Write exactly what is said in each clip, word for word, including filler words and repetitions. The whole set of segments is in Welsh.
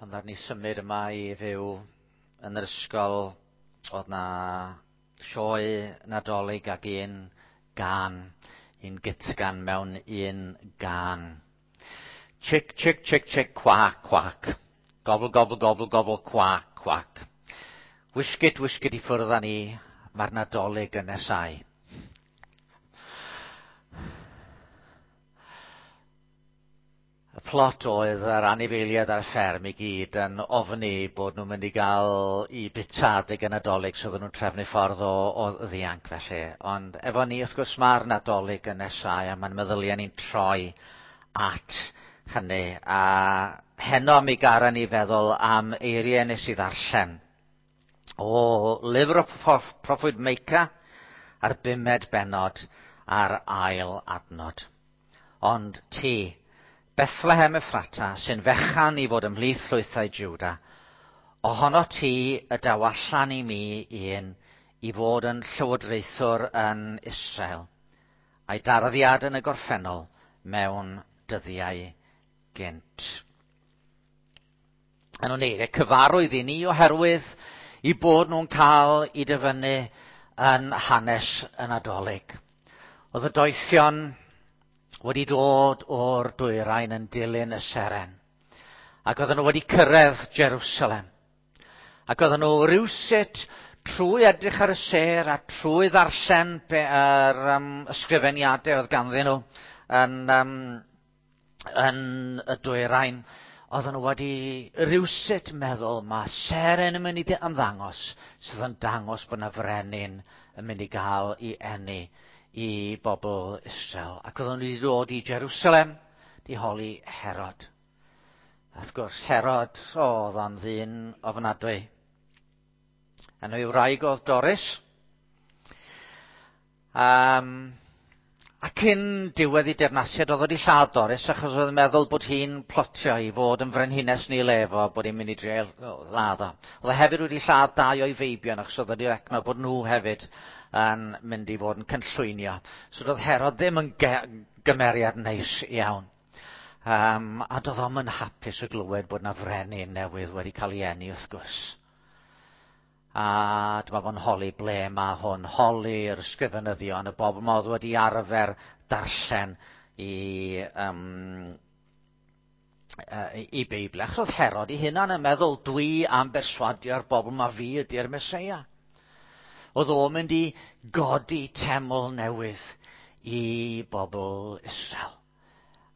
Pan ddaru ni symud yma i fyw yn yr ysgol, oedd 'na sioe Nadolig ag un gân, un gytgan mewn un gân. Chick, chick, chick, chick, quack, quack. Gobble, gobble, gobble, gobble, quack, quack. Wisgit, wisgit i ffwrdd â ni, mae'r Nadolig yn nesau. Y plot oedd yr anifeiliaid ar y fferm i gyd yn ofni bod nhw'n mynd i gael i bita adeg y Nadolig, so oedden nhw'n trefnu ffordd o, o ddianc felly. Ond efo ni, wrth gwrs, mae'r Nadolig yn nesau a mae'n meddyliau ni'n troi at hynny. A heno mi gara ni feddwl am eiriau nes i ddarllen o lyfr y proffwyd Meica a'r bumed bennod a'r ail adnod. Ond ti, Bethlehem Ephrata, sy'n fechan i fod ymhlith llwythau Juda, ohono ti y daw allan i mi un i fod yn llywodraethwr yn Israel, a'i darddiad yn y gorffennol mewn dyddiau gynt. Yn nhw'n eiriau cyfarwydd i ni oherwydd i bod nhw'n cael i dyfynnu yn hanes y Nadolig. Oedd y doethion wedi dod o'r dwyrain yn dilyn y seren. Ac oedden nhw wedi cyrraedd Jerusalem. Ac oedden nhw rywsut trwy edrych ar y sêr a trwy ddarllen yr um, ysgrifeniadau oedd ganddyn nhw yn, um, yn y dwyrain, oedden nhw wedi rywsut meddwl mae seren yn mynd i ymddangos sydd yn dangos bod yna frenin yn mynd i gael ei eni i bobl Israel. Ac oedden nhw wedi dod i Jerusalem, di holi Herod. A wrth gwrs, Herod, oedd o'n ddyn ofnadwy. Enw ei wraig oedd Doris. Um, a cyn diwedd ei deyrnasiad oedd wedi lladd Doris achos oedd yn meddwl bod hi'n plotio i fod yn frenhines neu lefo, bod hi'n mynd i dreial ladd o. Oedd e hefyd wedi lladd dau o'i feibion achos oedd wedi recno bod nhw hefyd yn mynd i fod yn cynllwynio. So doedd Herod ddim yn gymeriad neis iawn. Um, a doedd o'm yn hapus o glywed bod na frenin newydd wedi cael ei eni wrth gwrs. A dyma fo'n holi ble mae hwn, holi'r ysgrifenyddion, y bobl ma oedd wedi arfer darllen i, um, i Beibl. Achos oedd Herod ei hunan yn meddwl, dwi am berswadio'r bobl ma fi ydy'r Meseia. Oedd o'n mynd i godi teml newydd i bobl Israel.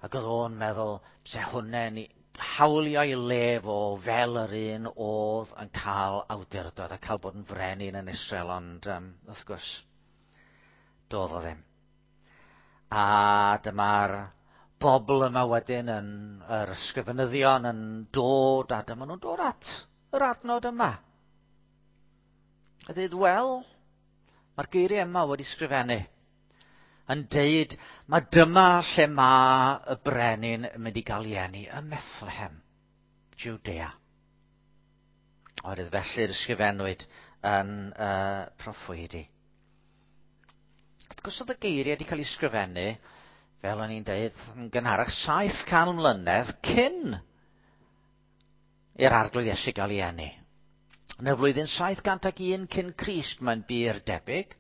Ac oedd o'n meddwl, se hwnne'n hawlio ei lef o fel yr un oedd yn cael awdurdod a cael bod yn frenin yn Israel, ond um, wrth gwrs, doedd o ddim. A dyma'r bobl yma wedyn yn yr ysgrifenyddion yn dod, a dyma nhw'n dod at yr adnod yma. A dweud, wel, mae'r geiriau yma wedi sgrifennu yn deud, mae dyma lle mae y brenin yn mynd i gael ei eni, ym Methlehem, Judea. Oherwydd felly'r ysgrifennwyd yn uh, proffwydi. Wrth gwrs oedd y geiriau wedi cael eu sgrifennu, fel o'n i'n deud, yn gynharach saith can mlynedd cyn i'r Arglwydd Iesu gael ei eni. Yn y flwyddyn saith cant ac un cyn Crist, mae'n bur debyg.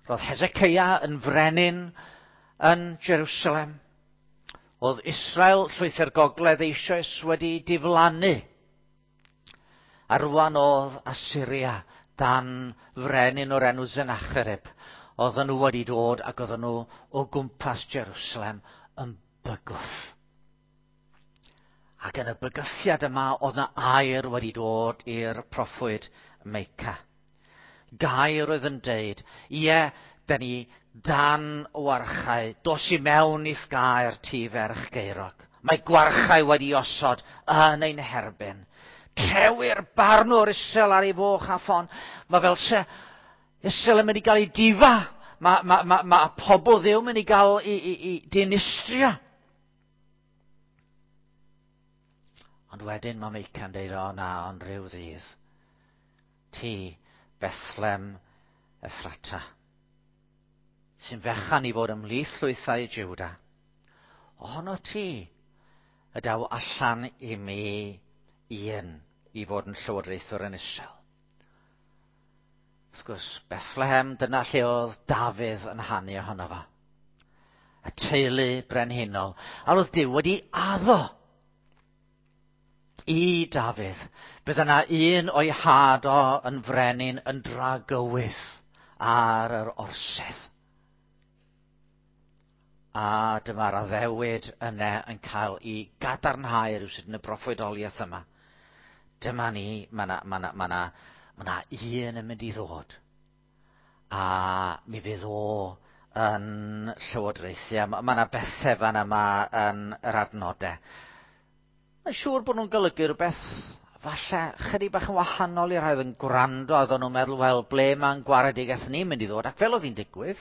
Roedd Hezekiah yn frenin yn Jerusalem. Oedd Israel, llwyth gogledd, eisoes wedi diflannu. A rwan oedd Assyria dan frenin o'r enw Sennacherib. Oedden nhw wedi dod ac oedden nhw o gwmpas Jerusalem yn bygwth. Ac yn y bygythiad yma oedd yna air wedi dod i'r proffwyd Meica. Gair oedd yn deud, ie, da ni dan warchau, dos i mewn i'th gaer ti ferch Geirog. Mae gwarchau wedi osod yn ein herbyn. Trewi'r barnwr Israel ar ei foch a ffon. Mae fel se Israel yn mynd i gael ei difa. Mae, ma, ma, ma pobl Dduw mynd i gael ei, ei, ei dinistrio. Ond wedyn mae Meica'n deud, o na, ond rhyw ddydd. Ti, Bethlehem Ephrata, sy'n fechan i fod ymhlith llwythau Juda. Ohono ti y daw allan i mi un i fod yn llywodraethwr yn Israel. Wrth gwrs, Bethlehem, dyna lle oedd Dafydd yn hanu ohono fo. Y teulu brenhinol. A roedd Duw wedi addo i Dafydd. Bydd yna un o'i had o yn frenin yn dragywydd ar yr orsedd. A dyma'r addewid yna yn cael ei gadarnhau rhywsut yn y broffwydoliaeth yma. Dyma ni, mae yna ma na, ma na, ma na un yn mynd i ddod. A mi fydd o yn llywodraethu. Mae yna bethau fan yma yn yr adnodau. Mae'n siŵr bod nhw'n golygu rhywbeth falle chydig bach yn wahanol i'r rhai oedd yn gwrando, a oedden nhw'n meddwl, wel, ble mae'n gwaredigaeth ni'n mynd i ddod? Ac fel oedd hi'n digwydd,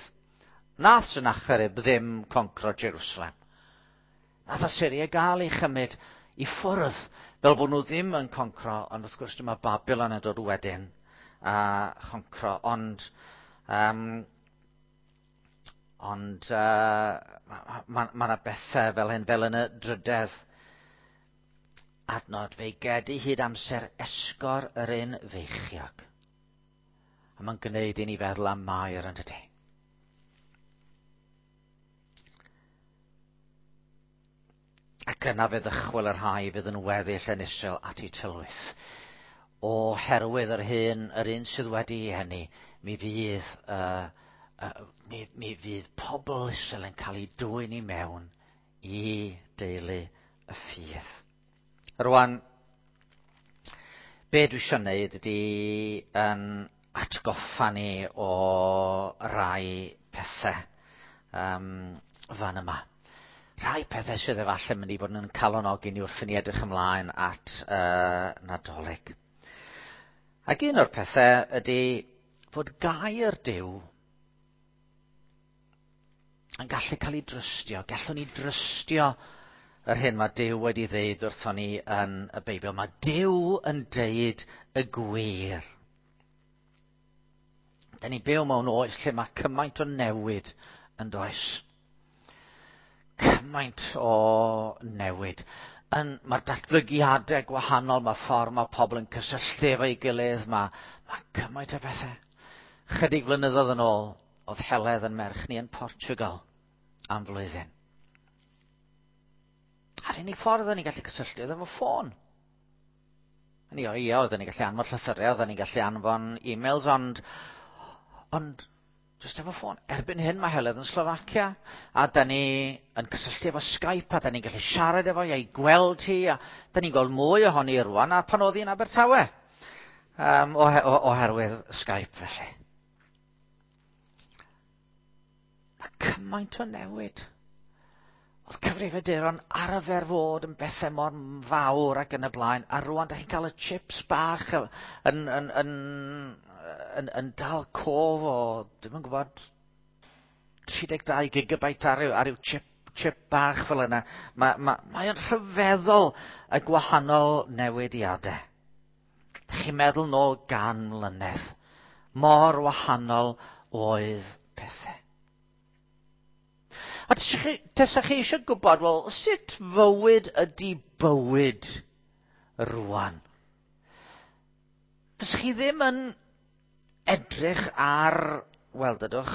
nath Sennacherib ddim concro Jerusalem. Nath Assyria gael ei chymryd i ffwrdd, fel bod nhw ddim yn concro, ond wrth gwrs dyma Babylon yn dod wedyn a choncro, ond um, ond uh, mae ma, ma yna bethau fel hyn, fel yn y drydedd adnod, fe'i gedi hyd amser esgor yr un feichiog. A mae'n gwneud i ni feddwl am Mair yn dydy. Ac yna fe ddychwel y rhai fydd yn weddill yn Israel at ei tylwyth. Oherwydd yr hyn, yr un sydd wedi ei hynny, mi fydd, uh, uh, mi, mi fydd pobl Israel yn cael ei dwyn i mewn i deulu y ffydd. Rwan, be dwi eisiau gwneud ydy yn atgoffa ni o rai pethau um, fan yma. Rhai pethau sydd efallai mynd i fod yn calonogi ni wrth i ni edrych ymlaen at uh, Nadolig. Ac un o'r pethau ydy fod gair Duw yn gallu cael ei drystio. Gallwn ni drystio yr hyn mae Duw wedi ddeud wrthon ni yn y Beibl. Mae Duw yn deud y gwir. Da ni'n byw mewn oes lle mae cymaint o newid yn does. Cymaint o newid. Yn, mae'r datblygiadau gwahanol, mae ffordd mae pobl yn cysylltu efo'i gilydd, mae, mae cymaint o bethau. Chydig flynyddoedd yn ôl, oedd Heledd yn merch ni yn Portugal am flwyddyn. A'r unig ffordd oedden ni'n gallu cysylltu oedd efo ffôn. Ni o, ie, oedden ni'n gallu anfon llythyrau, oedden ni'n gallu anfon e-mails, ond, ond jyst efo ffôn. Erbyn hyn mae Heledd yn Slofacia, a da ni yn cysylltu efo Skype, a da ni'n gallu siarad efo hi, a'i gweld hi, a da ni'n gweld mwy ohoni rwan, a pan oedd hi'n Abertawe, um, oherwydd Skype felly. Mae cymaint o newid. Oedd cyfrifiaduron arfer fod yn bethau mor fawr ac yn y blaen, a rwan da chi'n cael y chips bach yn, yn, yn, yn, yn dal cof o, dwi'm yn gwybod, tri deg dau gigabyte ar ryw, ar ryw chip, chip bach fel yna. Mae, mae, mae o'n rhyfeddol y gwahanol newidiadau. Da chi'n meddwl nôl gan mlynedd. Mor wahanol oedd pethau. A tesa chi eisiau gwybod, wel, sut fywyd ydy bywyd rwan? Fysa chi ddim yn edrych ar, wel, dydwch,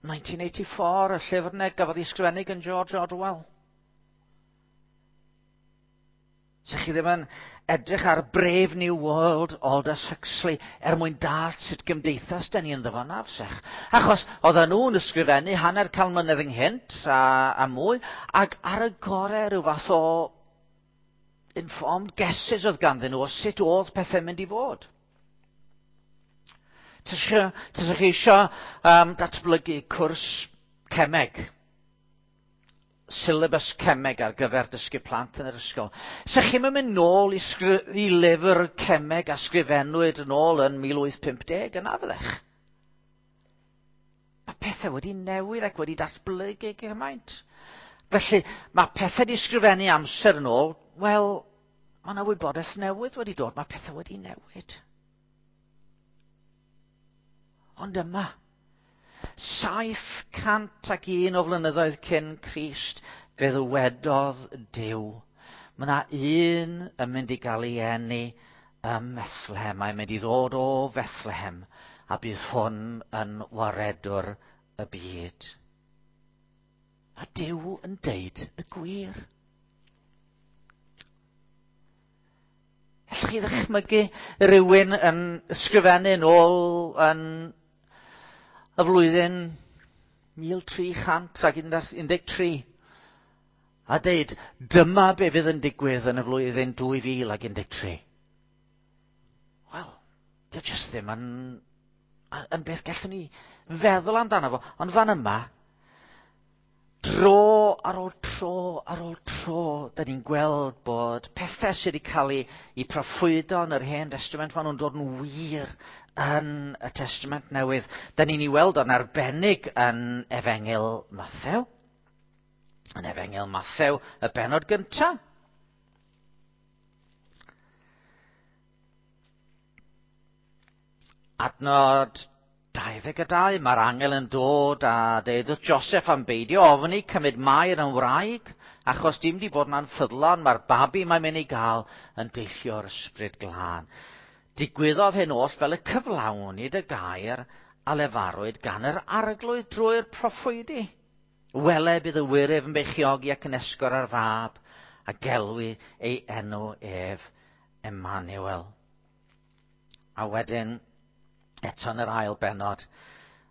nineteen eighty-four, y llyfr yna gafodd ei ysgrifennu gan George Orwell. Fysa chi ddim yn edrych ar Brave New World, Aldous Huxley, er mwyn dallt sut gymdeithas da ni ynddo fo na, fysech. Achos oedden nhw'n ysgrifennu hanner can mlynedd ynghynt a, a mwy, ac ar y gorau rhyw fath o informed guesses oedd ganddyn nhw o sut oedd pethau'n mynd i fod. Tasa chi eisiau um, datblygu cwrs cemeg, syllabus cemeg ar gyfer dysgu plant yn yr ysgol. Sa chi'n mynd nôl i, sgri- i lyfr cemeg a sgrifennwyd yn ôl yn mil wyth pump deg yna fyddech? Mae pethau wedi newid ac wedi datblygu gymaint. Felly, mae pethau wedi sgrifennu amser yn ôl, wel, mae yna wybodaeth newydd wedi dod, mae pethau wedi newid. Ond yma, saith cant ac un o flynyddoedd cyn Crist, fe ddywedodd Duw, Mae yna un yn mynd i gael ei eni ym Methlehem. Mae'n mynd i ddod o Fethlehem a bydd hwn yn waredwr y byd. A Duw yn deud y gwir. Allwch chi ddychmygu rhywun yn ysgrifennu nôl yn y flwyddyn mil tri chant ac un deg tri a deud, dyma be fydd yn digwydd yn y flwyddyn dwy fil ac un deg tri. Wel, dio jyst ddim yn, yn beth gallwn ni feddwl amdano fo. Ond fan yma, dro ar ôl tro ar ôl tro, da ni'n gweld bod pethau sydd wedi cael eu, eu proffwydo yn yr Hen Testament, maen nhw'n dod yn wir yn y Testament Newydd. Da ni'n ei weld o'n arbennig yn Efengyl Mathew. Yn Efengyl Mathew, y bennod gyntaf. Adnod dau ddeg a dau, mae'r angel yn dod a deud wrth Joseph am beidio ofni cymryd Mair yn wraig, achos dim di bod yn anffyddlon, mae'r babi mae'n mynd i gael yn deillio'r ysbryd glân. Digwyddodd hyn oll fel y cyflawnid y gair a lefarwyd gan yr arglwydd drwy'r proffwydi. Wele bydd y wyryf yn beichiogi ac yn esgor ar fab, a gelwi ei enw ef Emmanuel. A wedyn, eto yn yr ail bennod,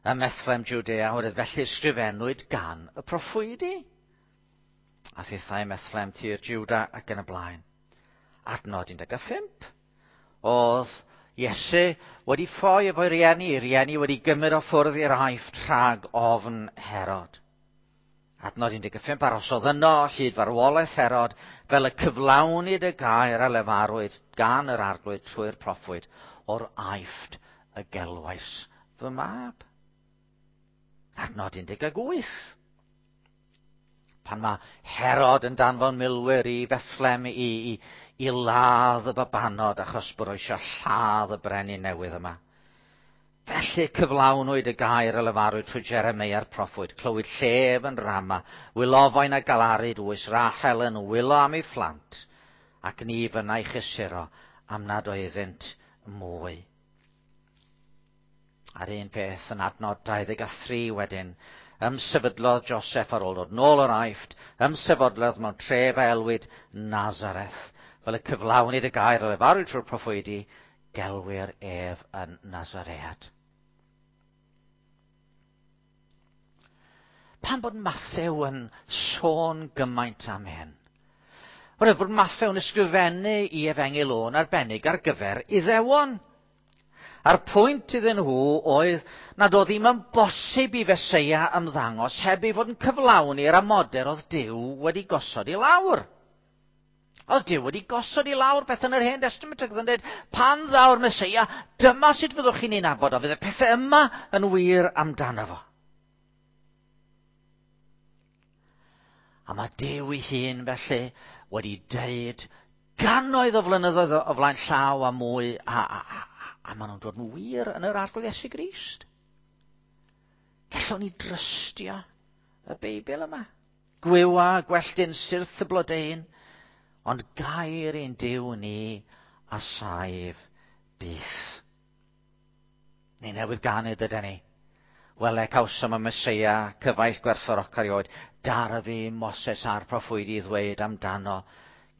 ym Methlehem Judea, oherwydd felly ysgrifennwyd gan y proffwydi. A thithau Methlehem tir Juda ac yn y blaen. Adnod un deg pump. Oedd Iesu wedi ffoi efo'i rieni, rieni wedi gymryd o ffwrdd i'r Aifft rhag ofn Herod. Adnod un deg pump, arosodd yno hyd farwolaeth Herod, fel y cyflawnid y gair a lefarwyd gan yr arglwydd trwy'r proffwyd o'r Aifft y gelwais fy mab. Adnod un deg wyth. Pan mae Herod yn danfon milwyr i Bethlehem i, i, i ladd y babanod achos bod o eisiau lladd y brenin newydd yma. Felly cyflawnwyd y gair a lefarwyd trwy Jeremeia'r proffwyd, clywyd llef yn Rama, wylofain a galaru dwys, Rachel yn wylo am ei phlant, ac ni fynnai chysuro am nad oeddynt mwy. A'r un peth yn adnod dau ddeg a thri wedyn, ymsefydlodd Joseph ar ôl dod nôl o'r Aifft, ymsefydlodd mewn tref a elwyd Nazareth, fel y cyflawnid y gair a lefarwyd trwy'r proffwydi, gelwir ef yn Nazaread. Pam bod Mathew yn sôn gymaint am hyn? Oherwydd bod Mathew yn ysgrifennu i Efengyl o'n arbennig ar gyfer Iddewon. A'r pwynt iddyn nhw oedd nad oedd ddim yn bosib i Feseia ymddangos heb ei fod yn cyflawni'r amodau oedd Duw wedi gosod i lawr. Oedd Duw wedi gosod i lawr beth yn yr Hen Testament ac oedd yn dweud, pan ddaw'r Meseia, dyma sut fyddwch chi'n ei nabod o, fydd y pethau yma yn wir amdano fo. A mae Duw ei hun felly wedi deud gannoedd o flynyddoedd o flaen llaw a mwy, a, a, a, a maen nhw'n dod yn wir yn yr Arglwydd Iesu Grist. Gallwn ni drystio y Beibl yma. Gwywa, gwelltyn, syrth y blodeuyn, ond gair ein Duw ni a saif byth. Ni newydd ganu dyda ni. Wele cawsom y Meseia, cyfaill gwerthfawrocaf erioed, darfu Moses a'r proffwydi ddweud amdano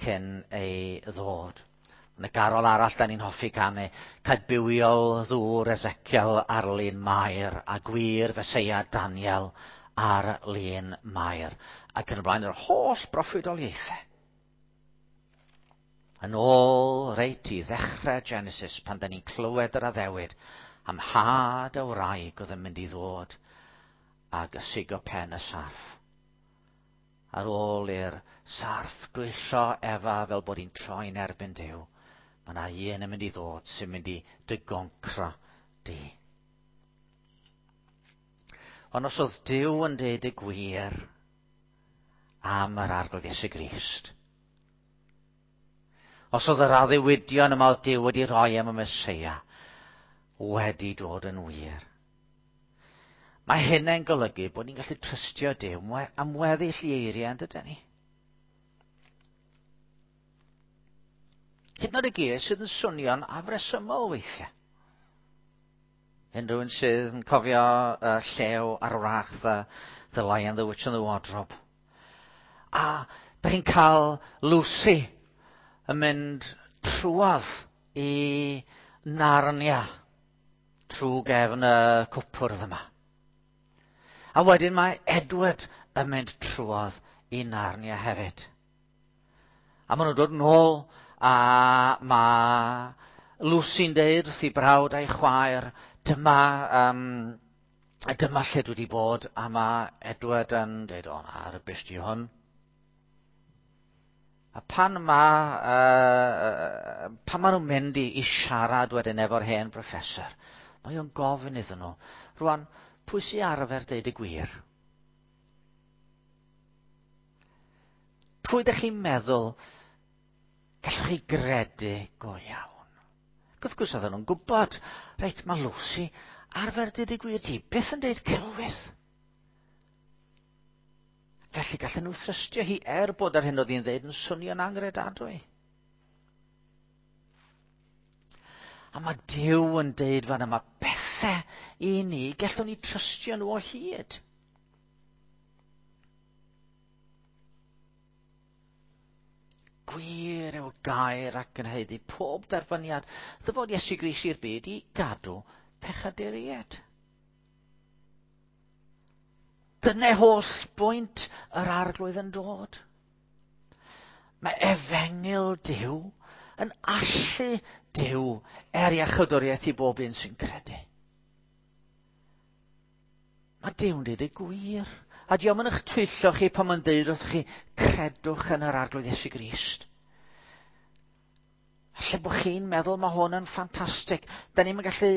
cyn ei ddod. Yn y garol arall da ni'n hoffi canu, cadbywiol ddŵr Ezekiel ar lun Mair a gwir Feseia Daniel ar lun Mair. Ac yn y blaen yr holl broffwydoliaethau. Yn ôl reit i ddechrau Genesis, pan da ni'n clywed yr addewid am had y wraig oedd yn mynd i ddod ag ysigo pen y sarff. Ar ôl i'r sarff dwyllo Efa fel bod hi'n troi'n erbyn Duw, mae yna un yn mynd i ddod sy'n mynd i dy goncro di. Ond os oedd Duw yn deud y gwir am yr Arglwydd Iesu Grist, os oedd yr addewidion yma oedd Duw wedi rhoi am y Meseia wedi dod yn wir, mae hynny'n golygu bod ni'n gallu trystio Duw am weddill i eiriau, yn dydyn ni? Hyd yn oed y geiriau sydd yn swnio'n afresymol weithiau. Unrhyw un sydd yn cofio uh, Llew a'r Wrach, the, the Lion, the Witch and the Wardrobe. A da chi'n cael Lucy yn mynd trwodd i Narnia trwy gefn y cwpwrdd yma. A wedyn mae Edward yn mynd trwodd i Narnia hefyd. A maen nhw'n dod nôl a mae Lucy'n deud wrth ei brawd a'i chwaer, dyma, um, dyma lle dwi wedi bod, a mae Edward yn deud, o na, rubbish di hwn. A pan ma, uh, pan ma nhw'n mynd i, i siarad wedyn efo'r hen professor, mae o'n gofyn iddyn nhw, rwan, pwy sy'n arfer deud y gwir? Pwy ydych chi'n meddwl gallwch chi gredu go iawn? Wrth gwrs oedden nhw'n gwybod, reit, mae Lucy arfer deud y gwir, di byth yn deud celwydd. Felly gallen nhw thrystio hi er bod ar hyn oedd hi'n ddeud yn swnio'n angredadwy. A mae Duw yn deud fan yma bethau i ni, gallwn ni trystio nhw o hyd. Gwir yw gair ac yn haeddu pob derbyniad ddyfod Iesu Grist i'r byd i gadw pechaduriaid. Dyna holl bwynt yr Arglwydd yn dod. Mae efengyl Duw yn allu Duw er iachawdwriaeth i bob un sy'n credu. Mae Duw'n deud y gwir. A diolch yn eich twyllo chi pan mae'n deud wrthych chi, credwch yn yr Arglwydd Iesu Grist. Falle bod chi'n meddwl mae hwn yn ffantastig. Da ni'm yn gallu,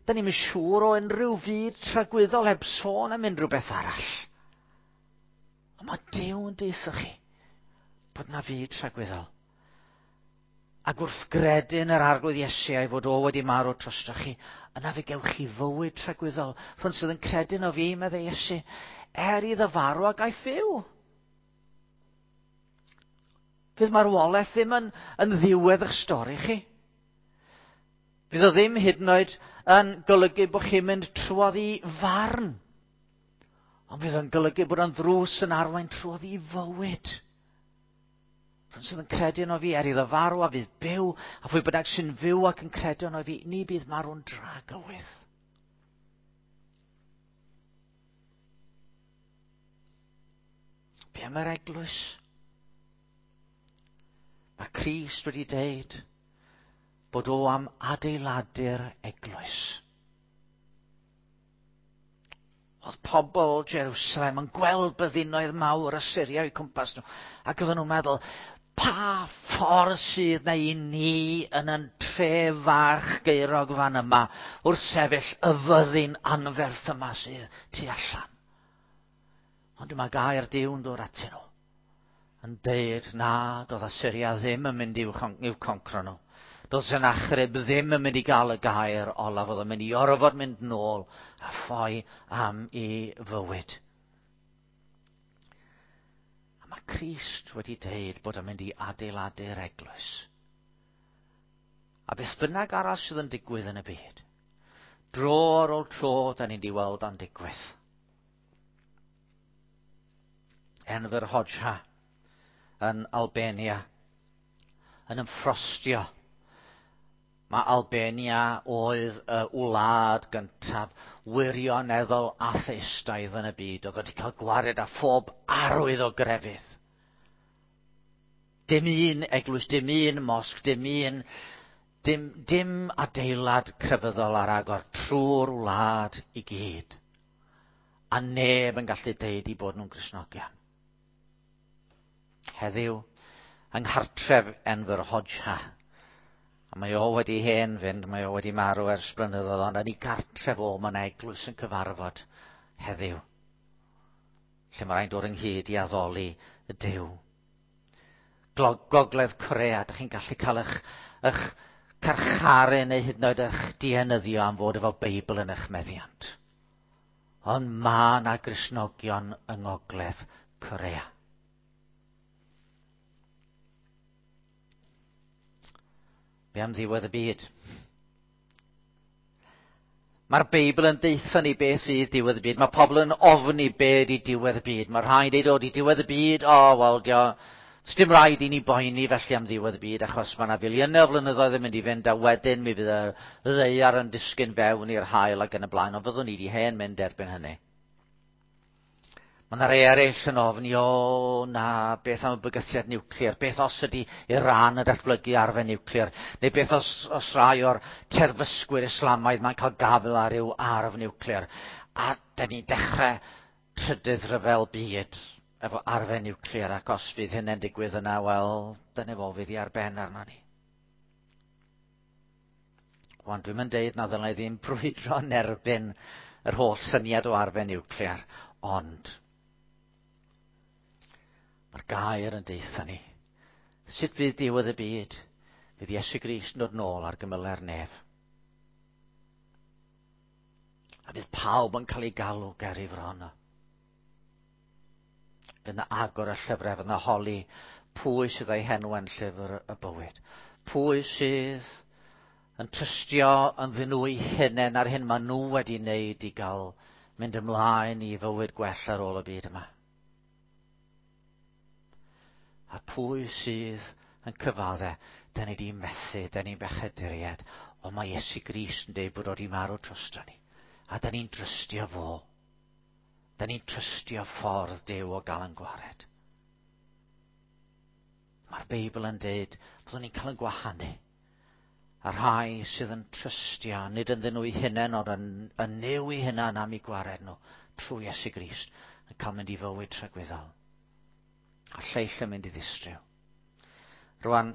da ni'm yn siŵr o unrhyw fyd tragwyddol heb sôn am unrhyw beth arall. Ond mae Duw yn deutha chi bod na fyd tragwyddol. Ac wrth gredu yn yr Arglwydd Iesu a'i fod o wedi marw drostoch chi, yna fe gewch chi fywyd tragwyddol. Rhwng sydd yn credu yno fi, meddai Iesu, er iddo farw ac a'i fyw. Fydd marwolaeth ddim yn, yn ddiwedd eich stori chi. Fydd o ddim hyd yn oed yn golygu bod chi'n mynd trwodd i farn. Ond fydd o'n golygu bod o'n ddrws yn arwain trwodd i fywyd. Rhwng sydd yn credu yno fi, er iddo farw a fydd byw, a phwy bynnag sy'n fyw ac yn credu yno fi, ni bydd marw'n dragywydd. Be am yr eglwys? Mae Crist wedi deud bod o am adeiladu'r eglwys. Oedd pobl Jerusalem yn gweld byddinoedd mawr Asyria o'u cwmpas nhw, ac oedden nhw'n meddwl, pa ffordd sydd na i ni yn yn tre fach geirog fan yma wrth sefyll y fyddin anferth yma sydd tu allan. Ond dyma gair Duw'n dod atyn nhw, yn deud na, doedd Asyria ddim yn mynd i'w, i'w concro nhw. Doedd Sennacherib ddim yn mynd i gael y gair olaf, oedd yn mynd i orfod mynd nôl a ffoi am ei fywyd. A mae Crist wedi deud bod yn mynd i adeiladu'r eglwys. A beth bynnag arall sydd yn digwydd yn y byd, dro ar ôl tro, da ni'n di weld o'n digwydd. Enver Hoxha yn Albania yn ymffrostio. Mae Albania oedd y wlad gyntaf wirioneddol atheistaidd yn y byd. Oedd wedi cael gwared â phob arwydd o grefydd. Dim un eglwys, dim un mosg, dim un, dim, dim adeilad crefyddol ar agor trwy'r wlad i gyd. A neb yn gallu deud i bod nhw'n Gristnogion. Heddiw, yng nghartref Enver Hoxha, a mae o wedi hen fynd, mae o wedi marw ers blynyddoedd, ond yn ei gartref o, mae yna eglwys yn cyfarfod heddiw, lle mae rhaid dod ynghyd i addoli y Duw. Gogledd Corea, dych chi'n gallu cael eich, eich carcharu neu hyd yn oed eich dienyddio am fod efo Beibl yn eich meddiant. Ond mae yna Gristnogion yng Ngogledd Corea. Be am ddiwedd y byd? Mae'r Beibl yn deutha ni beth fydd diwedd y byd. Mae pobl yn ofni be di diwedd y byd. Mae rhai'n deud, o, di diwedd y byd, o, wel, dio, dim rhaid i ni boeni felly am ddiwedd y byd, achos mae yna filiynau o flynyddoedd yn mynd i fynd, a wedyn mi fydd y ddaear yn disgyn fewn i'r haul ac yn y blaen, ond fyddwn ni di hen mynd erbyn hynny. Mae yna rei eraill yn ofni, o na, beth am y bygythiad niwclear, beth os ydy Iran yn datblygu arfer niwclear, neu beth os, os rai o'r terfysgwyr Islamaidd mae'n cael gafel ar ryw arf niwclear. A da ni'n dechrau trydydd rhyfel byd efo arfer niwclear, ac os fydd hynny'n digwydd yna, wel, dyna fo fydd i ar ben arno ni. Wan, dwi'n mynd deud na ddylai ddim brwydro yn erbyn yr holl syniad o arfer niwclear, ond mae'r gair yn deutha ni. Sut fydd diwedd y byd? Fydd Iesu Grist yn dod nôl ar gymylau'r nef. A fydd pawb yn cael ei galw ger ei fron o. Fydd yna agor y llyfrau, fydd yna holi pwy sydd â'i henw yn llyfr y bywyd. Pwy sydd yn trystio ynddyn nhw eu hunain ar hyn maen nhw wedi wneud i gael mynd ymlaen i fywyd gwell ar ôl y byd yma. A pwy sydd yn cyfadde, da ni di methu, da ni'n bechaduriaid, ond mae Iesu Grist yn dweud bod o wedi marw drosto ni. A da ni'n trystio fo. Da ni'n trystio ffordd Duw o gael yn gwared. Mae'r Beibl yn dweud byddwn ni'n cael yn gwahanu. A rhai sydd yn trystio, nid ynddyn nhw eu hunain, ond yn, yn Nuw ei hunain am eu gwared nhw, trwy Iesu Grist, yn cael mynd i fywyd tragwyddol. A lleill yn mynd i ddistryw. Rwan,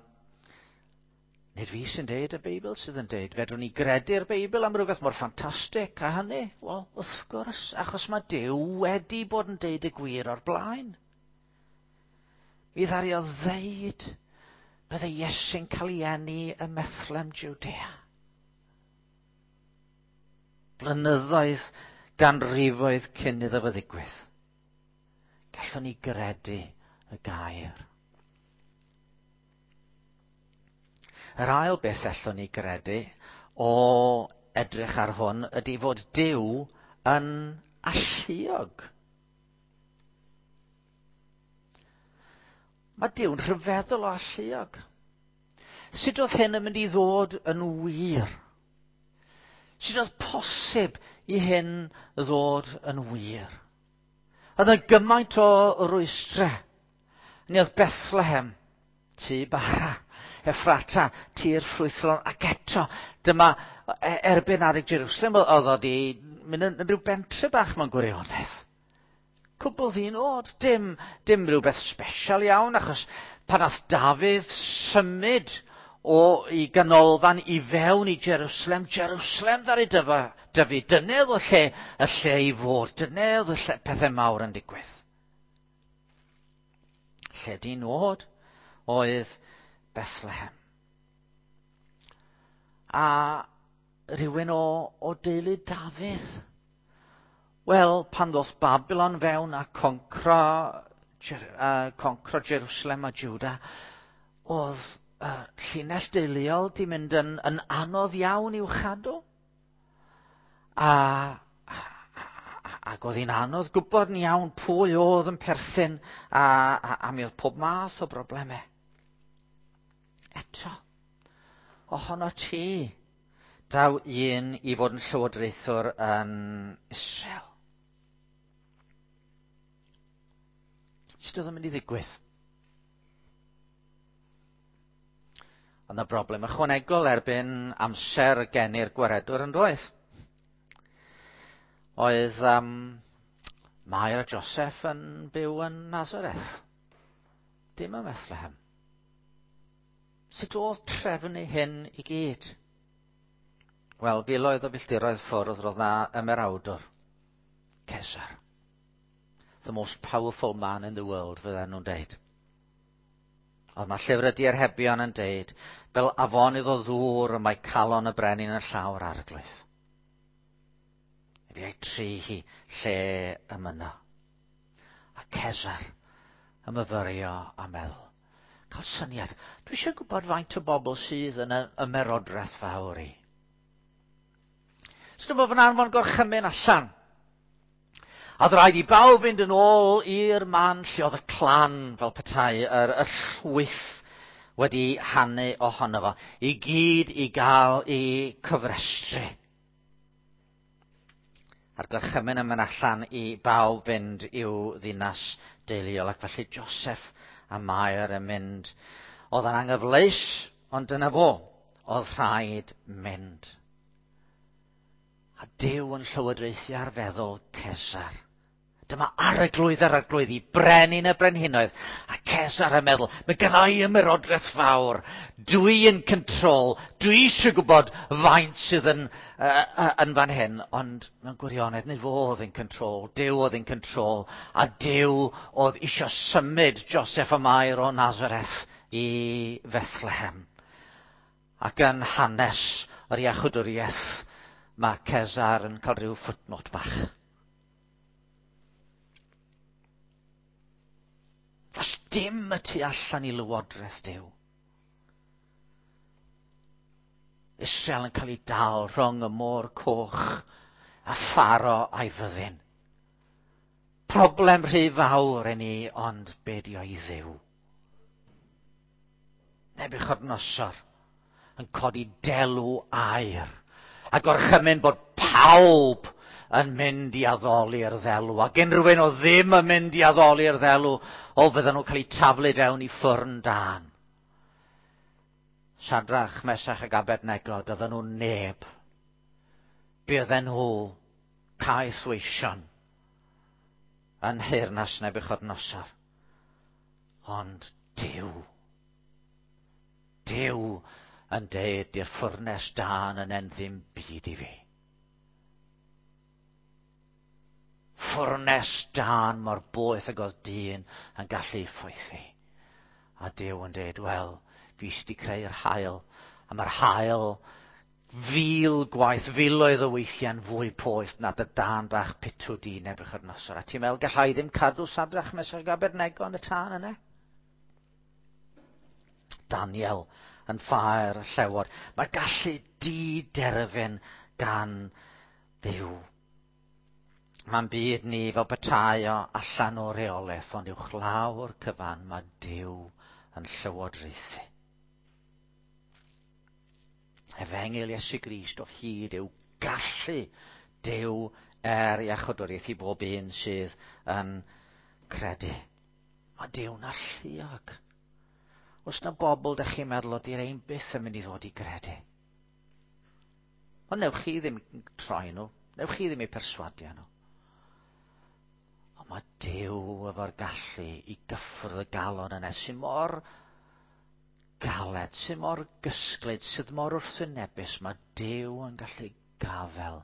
nid fi sy'n deud, y Beibl sydd yn deud. Fedrwn ni gredu'r Beibl am rhywbeth mor ffantastig a hynny? Wel, wrth gwrs, achos mae Duw wedi bod yn deud y gwir o'r blaen. Mi ddaru o ddeud bydde Iesu'n cael ei eni ym Methlehem, Judea. Blynyddoedd, ganrifoedd cyn iddo fo ddigwydd. Gallwn ni gredu y gair. Yr ail beth allwn ni gredu o edrych ar hwn ydy fod Duw yn alluog. Mae Duw'n rhyfeddol o alluog. Sut oedd hyn yn mynd i ddod yn wir? Sut oedd posib i hyn ddod yn wir? Oedd yna gymaint o rwystrau. Ni oedd Bethlehem, tŷ bara, Effrata, tir ffrwythlon, ac eto, dyma erbyn adeg Jerusalem, oedd o di mynd yn rhyw bentre bach mewn gwirionedd. Cwbl ddyn oed, dim, dim rhywbeth special iawn, achos pan nath Dafydd symud o i ganolfan i fewn i Jerusalem, Jerusalem ddaru dyfa, dyfu, dyna oedd y lle, y lle i fod, dyna oedd y lle, pethau mawr yn digwydd. Lle dyn oed oedd Bethlehem. A rhywun o, o deulu Dafydd. Wel, pan ddoth Babylon fewn a concro, uh, concro Jerusalem a Juda, oedd uh, llinell deuluol di mynd yn, yn anodd iawn i'w chadw. A, a, a, ac oedd hi'n anodd gwybod yn iawn pwy oedd yn perthyn, a, a, a mi oedd pob math o broblemau. Eto, ohono ti, daw un i fod yn llywodraethwr yn Israel. Sut oedd yn mynd i ddigwydd? Ond y broblem ychwanegol erbyn amser geni'r gwaredwr yn doedd. Oedd um, Mair a Joseph yn byw yn Nazareth, dim ym Methlehem. Sut oedd trefnu hyn i gyd? Wel, filoedd o filltiroedd ffwrdd roedd na ymerawdwr, Cesar. The most powerful man in the world, fydden nhw'n deud. Ond mae llyfr y diarhebion yn deud, fel afonydd o ddŵr y mae calon y brenin yn llawr arglwydd. Fi ei tri hi lle y myno. A Cesar yn myfyrio a meddwl, Cael syniad. Dwi eisiau gwybod faint o bobl sydd yn y ymerodraeth fawr i. So dyma fo'n anfon gorchymyn allan. A oedd rhaid i bawb fynd yn ôl i'r man lle oedd y clan fel petai, yr, y llwyth wedi hanu ohono fo, i gyd i gael eu cyfrestru. A'r gorchymyn yn mynd allan i bawb fynd i'w ddinas deuluol, ac felly Joseph a Mair yn mynd. Oedd yn anghyfleus, ond dyna fo, oedd rhaid mynd. A Duw yn llywodraethu ar feddwl Cesar. Dyma arglwydd yr arglwyddi, brenin y brenhinoedd. A Cesar yn meddwl, mae gynna i ymerodraeth fawr. Dwi yn control, dwi eisiau gwybod faint sydd yn, uh, yn fan hyn. Ond mewn gwirionedd, nid fo oedd yn control, Duw oedd yn control. A Duw oedd eisiau symud Joseph a Mair o Nazareth i Bethlehem. Ac yn hanes yr iachwdwriaeth, mae Cesar yn cael rhyw footnote bach. Does dim y tu allan i lywodraeth Duw. Israel yn cael ei dal rhwng y môr coch a Pharo a'i fyddin. Problem rhy fawr i ni, ond be di o i Dduw? Nebuchadnezzar yn codi delw aur a gorchymyn bod pawb yn mynd i addoli'r ddelw. Ac unrhyw un o ddim yn mynd i addoli'r ddelw, o fydden nhw'n cael eu taflu fewn i ffwrn dân. Sadrach, Mesach ac Abednego, doedden nhw neb. Bydden nhw caethweision yn nheyrnas Nebuchadnezzar. Ond Duw, Duw yn deud i'r ffwrnes dân yn en ddim byd i fi. Ffwrnes dân mor boeth ag oedd dyn yn gallu ffwythu. A Duw yn deud, wel, fi sydd wedi creu'r haul, a mae'r haul fil gwaith, filoedd o weithiau'n fwy poeth na dy dân bach pitw di Nebuchadnezzar. A ti'n meddwl, gallai ddim cadw Sadrach, Mesach ac Abednego yn y tân yna? Daniel yn ffair y llewod. Mae gallu di-derfyn gan Dduw. Mae'n byd ni fel petai o allan o reolaeth, ond uwchlaw'r cyfan mae Duw yn llywodraethu. Efengyl Iesu Grist o hyd yw gallu Duw er iachawdwriaeth i bob un sydd yn credu. Mae Duw'n alluog. Oes na bobl dych chi'n meddwl ydy'r ein byth yn mynd i ddod i gredu? Ond newch chi ddim troi nhw, newch chi ddim eu perswadio nhw. Ond mae Duw efo'r gallu i gyffwrdd y galon yna sy'n mor galed, sy'n mor gysglyd, sydd mor wrthwynebus. Mae Duw yn gallu gafel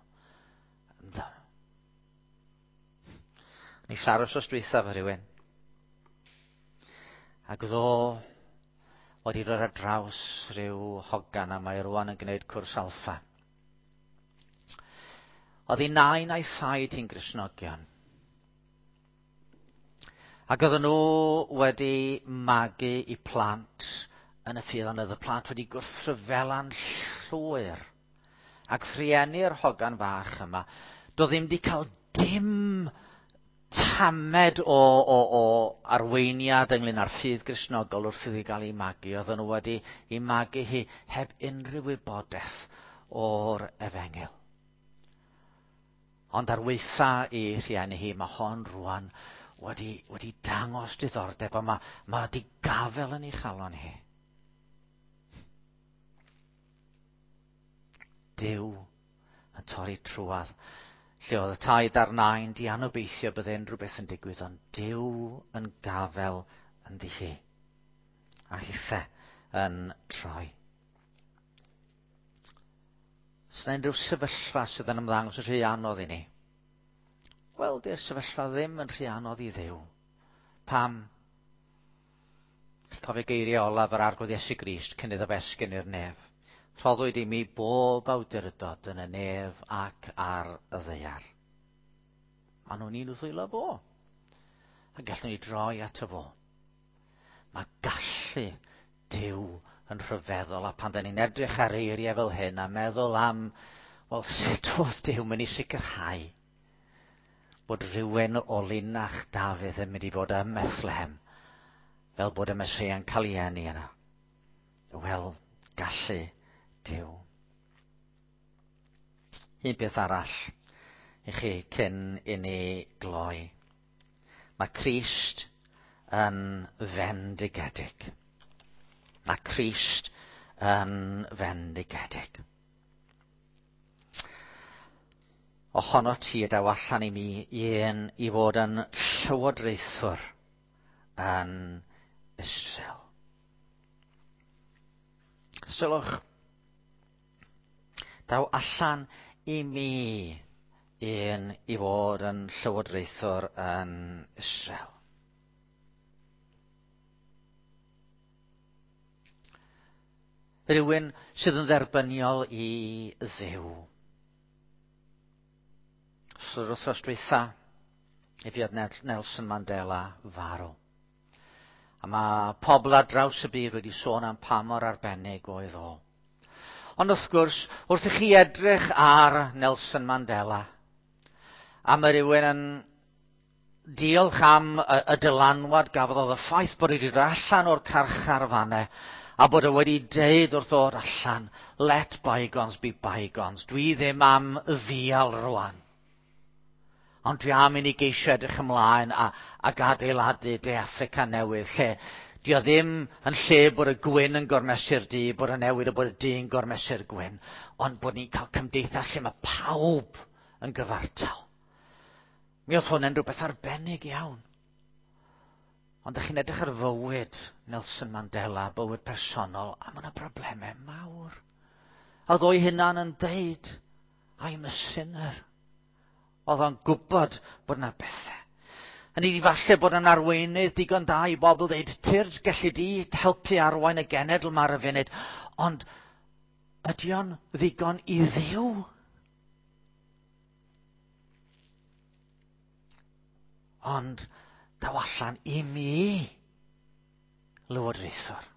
ynddo. Ni siarad wrth dwytha efo rhywun. Ac oedd o wedi dod ar draws rhyw hogan a mae rwan yn gwneud cwrs alffa. Oedd ei nain a'i thaid hi'n Gristnogion. Ac oedden nhw wedi magu i plant yn y ffydd, ond oedd y plant wedi gwrthryfela'n llwyr. Ac rhieni'r hogan fach yma, doedd ddim wedi cael dim tamed o, o, o arweiniad ynglyn â'r ffydd Gristnogol wrth iddi gael ei magu. Oedden nhw wedi ei magu hi heb unrhyw wybodaeth o'r efengyl. Ond ar waetha i rhieni hi, mae hon rwan wedi, wedi dangos diddordeb, a mae, mae wedi gafel yn ei chalon hi. Duw yn torri trwadd. Lle oedd y taid a'r nain di anobeithio bydde unrhyw beth yn digwydd, ond Duw yn gafel ynddi hi. A hithe yn troi. Os yna unrhyw sefyllfa sydd yn ymddangos yn rhy anodd i ni? Wel, di'r sefyllfa ddim yn rhy anodd i Dduw. Pam? Chi'n cofio geiriau olaf yr Arglwydd Iesu Grist cyn iddo fe esgyn i'r nef. Rhoddwyd i mi bob awdurdod yn y nef ac ar y ddaear. Maen nhw'n un ddwylo fo. A gallwn ni droi ato fo. Mae gallu gallu Duw yn rhyfeddol, a pan da ni'n edrych ar eiriau fel hyn a meddwl am, wel, sut oedd Duw mynd i sicrhau bod rhywun o linach Dafydd yn mynd i fod ym Methlehem, fel bod y Meseia'n cael ei eni yna. Wel, gallu Duw. Un peth arall i chi cyn i ni gloi. Mae Crist yn fendigedig. Mae Crist yn fendigedig. Ohono ti y daw allan i mi un i fod yn llywodraethwr yn Israel. Sylwch, daw allan i mi un i fod yn llywodraethwr yn Israel. Rhywun sydd yn dderbyniol i Dduw. So, yr wythnos dwytha, i fuodd Nelson Mandela farw. A mae pobl ar draws y byd wedi sôn am pa mor arbennig oedd o. Ond wrth gwrs, wrth i chi edrych ar Nelson Mandela, a mae rhywun yn diolch am y, y dylanwad gafodd oedd y ffaith bod wedi dod allan o'r carchar fanne, a bod e wedi deud wrth ddod allan, let bygones be bygones, dwi ddim am ddial rwan. Ond dwi am i ni geisio edrych ymlaen a, ac adeiladu De Affrica newydd, lle di o ddim yn lle bod y gwyn yn gormesu'r du, bod y newid a bod y du yn gormesu'r gwyn, ond bod ni'n cael cymdeithas lle mae pawb yn gyfartal. Mi oedd hwn yn rhywbeth arbennig iawn. Ond ydych chi'n edrych ar fywyd Nelson Mandela, bywyd personol, a mae yna broblemau mawr. A oedd o'i hunan yn deud, I'm a sinner. Oedd o'n gwybod bod yna bethau. A ni falle bod yn arweinydd digon da i bobl dweud, tyrd, gelli di helpu arwain y genedl ma ar y funud, ond ydy o'n ddigon i Dduw? Ond daw allan i mi lywodraethwr.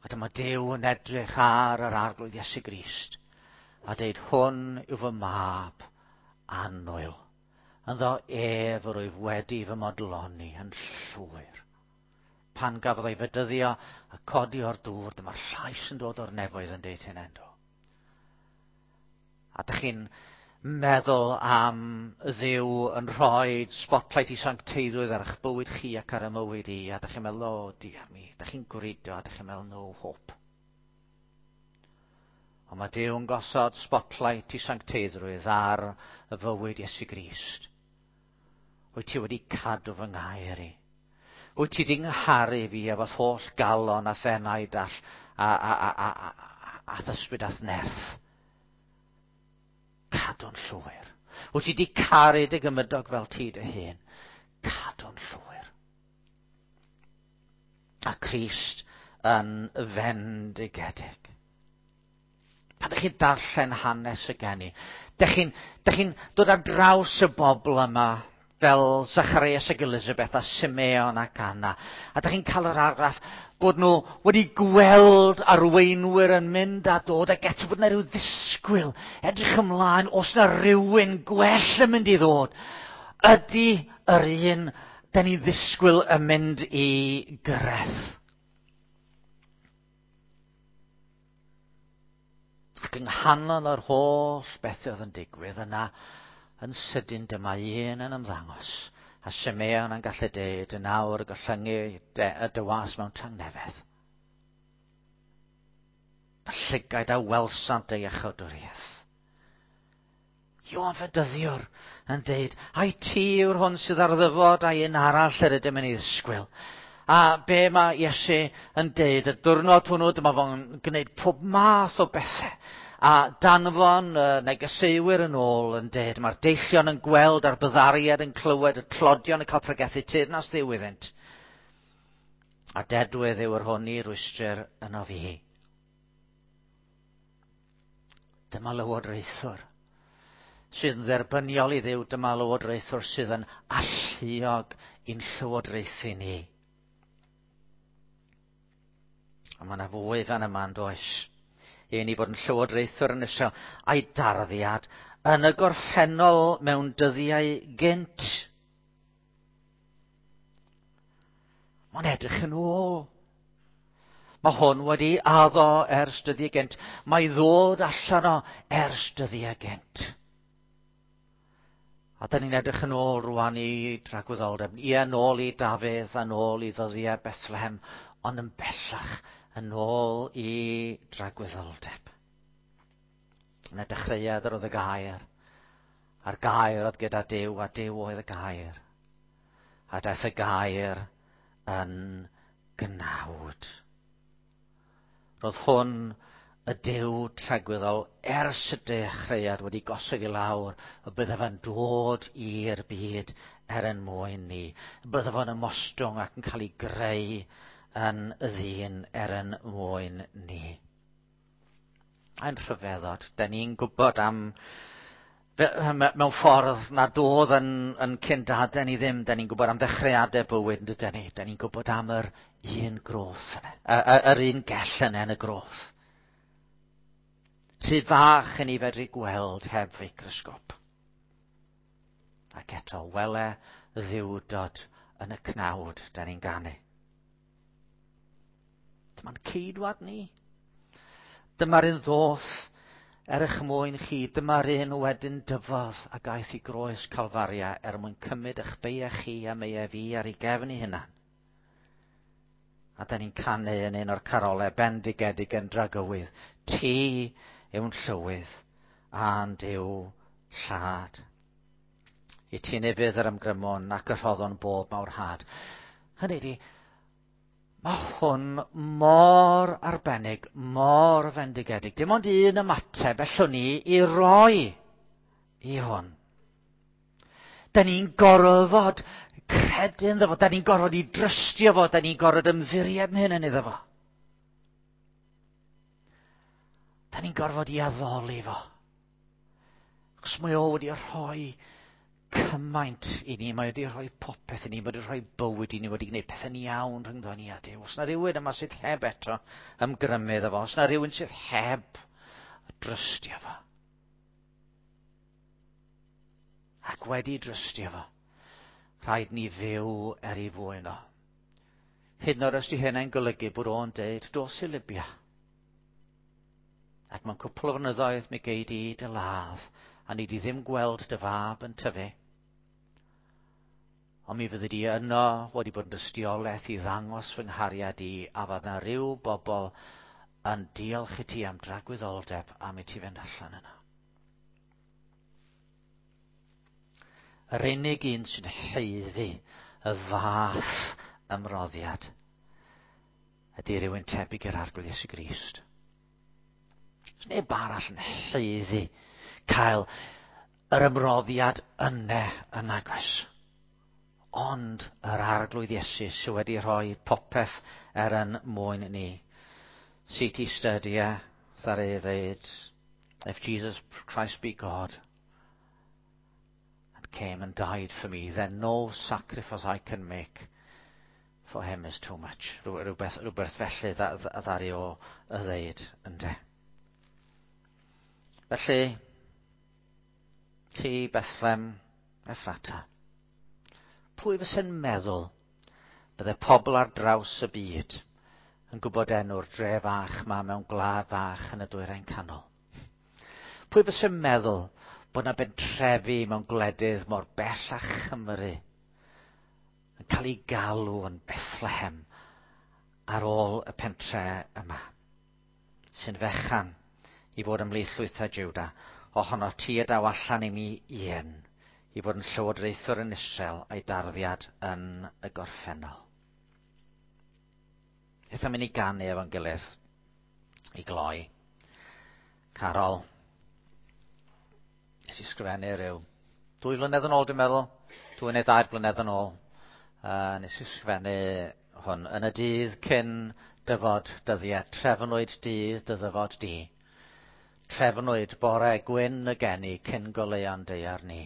A dyma Duw yn edrych ar yr Arglwydd Iesu Grist a deud, hwn yw fy mab annwyl. Ynddo ef yr wyf wedi fy modloni yn llwyr. Pan gafodd ei fedyddio a codi o'r dŵr, dyma'r llais yn dod o'r nefoedd yn deud hyn endo. A dych chi'n meddwl am Dduw yn rhoi spotlight i sancteiddrwydd ar eich bywyd chi ac ar y mywyd i, a dych chi'n meddwl, o, diar mi, dych chi'n gwrido, a dych chi'n meddwl, no hope. Ond mae Duw yn gosod spotlight i sancteiddrwydd ar y fywyd Iesu Grist. Wyt ti wedi cadw fy ngair i? Wyt ti wedi ngharu fi efo'th holl galon a thenaid a, a, a, a, a, a, a thysbryd a'th nerth? Cadw'n llwyr. Wyt ti wedi caru dy gymydog fel ti dy hun? Cadw'n llwyr. A Crist yn fendigedig. Pan ydych chi'n darllen hanes y geni, dych chi'n chi dod ar draws y bobl yma fel Zacharias ac Elizabeth a Simeon ac Anna. A dych chi'n cael yr argraff bod nhw wedi gweld arweinwyr yn mynd a dod ac eto bod yna rhyw ddisgwyl, edrych ymlaen, os yna rhywun gwell yn mynd i ddod. Ydy yr un da ni'n ddisgwyl yn mynd i gyrraedd? Ac yng nghanol yr holl bethau oedd yn digwydd yna, yn sydyn dyma un yn ymddangos, a Simeon yn gallu deud yn awr gollyngu y dywas mewn tangnefedd. Y llygaid a welsant ei iachawdwriaeth. Ioan Fedyddiwr yn deud, ai ti yw'r hwn sydd ar ddyfod a'i un arall yr ydym yn ei ddisgwyl. A be mae Iesu yn deud, y diwrnod hwnnw, dyma fo'n gwneud pob math o bethau. A danfon y negeseuwyr yn ôl yn deud, mae'r deillion yn gweld a'r byddariad yn clywed, y tlodion yn cael pregethu teyrnas Dduw iddynt. A dedwydd yw yr hwn i rwystr yno fi. Dyma lywodraethwr sydd yn dderbyniol i Dduw, dyma lywodraethwr sydd yn alluog i'n llywodraethu ni. A mae yna fwy fan yma yn does. Un i fod yn llywodraethwr yn Israel a'i darddiad yn y gorffennol mewn dyddiau gynt. Mae'n edrych yn ôl. Mae hwn wedi addo ers dyddiau gynt. Mae ddod allan o ers dyddiau gynt. A da ni'n edrych yn ôl rwan i dragwyddoldeb. Ie, nôl i Dafydd a nôl i ddyddiau Bethlehem, ond yn bellach yn ôl i dragwyddoldeb. Yn y dechreuad yr oedd y gair, a'r gair oedd gyda Duw, a Duw oedd y gair. A daeth y gair yn gnawd. Roedd hwn y Duw tragwyddol ers y dechreuad wedi gosod i lawr y bydde fe'n dod i'r byd er yn mwyn ni. Y bydde fe'n ymostwng ac yn cael ei greu yn y ddyn er yn mwyn ni. A'n rhyfeddod, da ni'n gwybod am mewn ffordd nad oedd yn, yn cyndadau ni ddim, da ni'n gwybod am ddechreuadau bywyd, yn dydyn ni? Da ni'n gwybod am yr un groth yna, yr un gell yna yn y groth. Rhy fach yn ei fedru gweld heb feicrosgop. Ac eto, wele ddiwdod yn y cnawd da ni'n ganu. Dyma'n ceidwad ni. Dyma'r un ddoth er eich mwyn chi. Dyma'r un wedyn dyfodd a gaeth i groes Calfaria er mwyn cymryd eich beiau chi a meiau fi ar ei gefn ei hunan. A da ni'n canu yn un o'r carolau bendigedig yn dragywydd. Ti yw'n llywydd a'n Duw llad. I ti nefydd yr ymgrymwn ac y rhoddon bob mawr had. Hynny ydi, mae hwn mor arbennig, mor fendigedig. Dim ond un ymateb allwn ni i roi i hwn. Da ni'n gorfod credu ynddo fo, da ni'n gorfod i drystio fo, da ni'n gorfod ymddiried yn hyn yn iddo fo. Da ni'n gorfod i addoli fo. Achos mae o wedi rhoi cymaint i ni, mae wedi rhoi popeth i ni, mae wedi rhoi bywyd i ni, wedi gwneud pethau'n iawn rhyngddo ni a Duw. Os na rhywun yma sydd heb eto ymgrymu iddo fo, os na rhywun sydd heb drystio fo. Ac wedi drystio fo, rhaid ni fyw er ei fwyn o. Hyd yn oed os di hynny'n golygu bod o'n deud, dos i Libya. Ac mewn cwpl o flynyddoedd mi gei di dy ladd, a ni di ddim gweld dy fab yn tyfu. Ond mi fyddi di yno wedi bod yn dystiolaeth i ddangos fy nghariad i, a fydd na ryw bobl yn diolch i ti am dragwyddoldeb am i ti fynd allan yno. Yr unig un sy'n haeddu y fath ymroddiad ydy rhywun tebyg i'r Arglwydd Iesu Grist. Does neb arall yn haeddu cael yr ymroddiad yna yn agos. Ond yr Arglwydd Iesu sydd wedi rhoi popeth er yn mwyn ni. C T Studia, ddaru ei ddeud, if Jesus Christ be God, and came and died for me, then no sacrifice I can make for him is too much. Rhywbeth, rhywbeth felly ddaru o ddeud, ynde. Felly, ti Bethlehem Ephrata, pwy fyse'n meddwl bydde pobl ar draws y byd yn gwybod enw'r dre fach ma mewn gwlad fach yn y dwyrain canol? Pwy fyse'n meddwl bod na bentrefi mewn gwledydd mor bell â Chymru yn cael ei galw yn Bethlehem ar ôl y pentre yma, sy'n fechan i fod ymhlith llwythau Juda, ohono ti y daw allan i mi un, i fod yn llywodraethwr yn Israel a'i darddiad yn y gorffennol. Eitha mynd i ganu efo'n gilydd i gloi. Carol, nes i sgrifennu rhyw dwy flynedd yn ôl, dwi'n meddwl, dwy neu dair blynedd yn ôl. Uh, nes i sgrifennu hwn yn y dydd cyn dyfod dyddiau, trefnwyd dydd dy ddyfod di. Trefnwyd bore gwyn y geni cyn goleuon daear ni.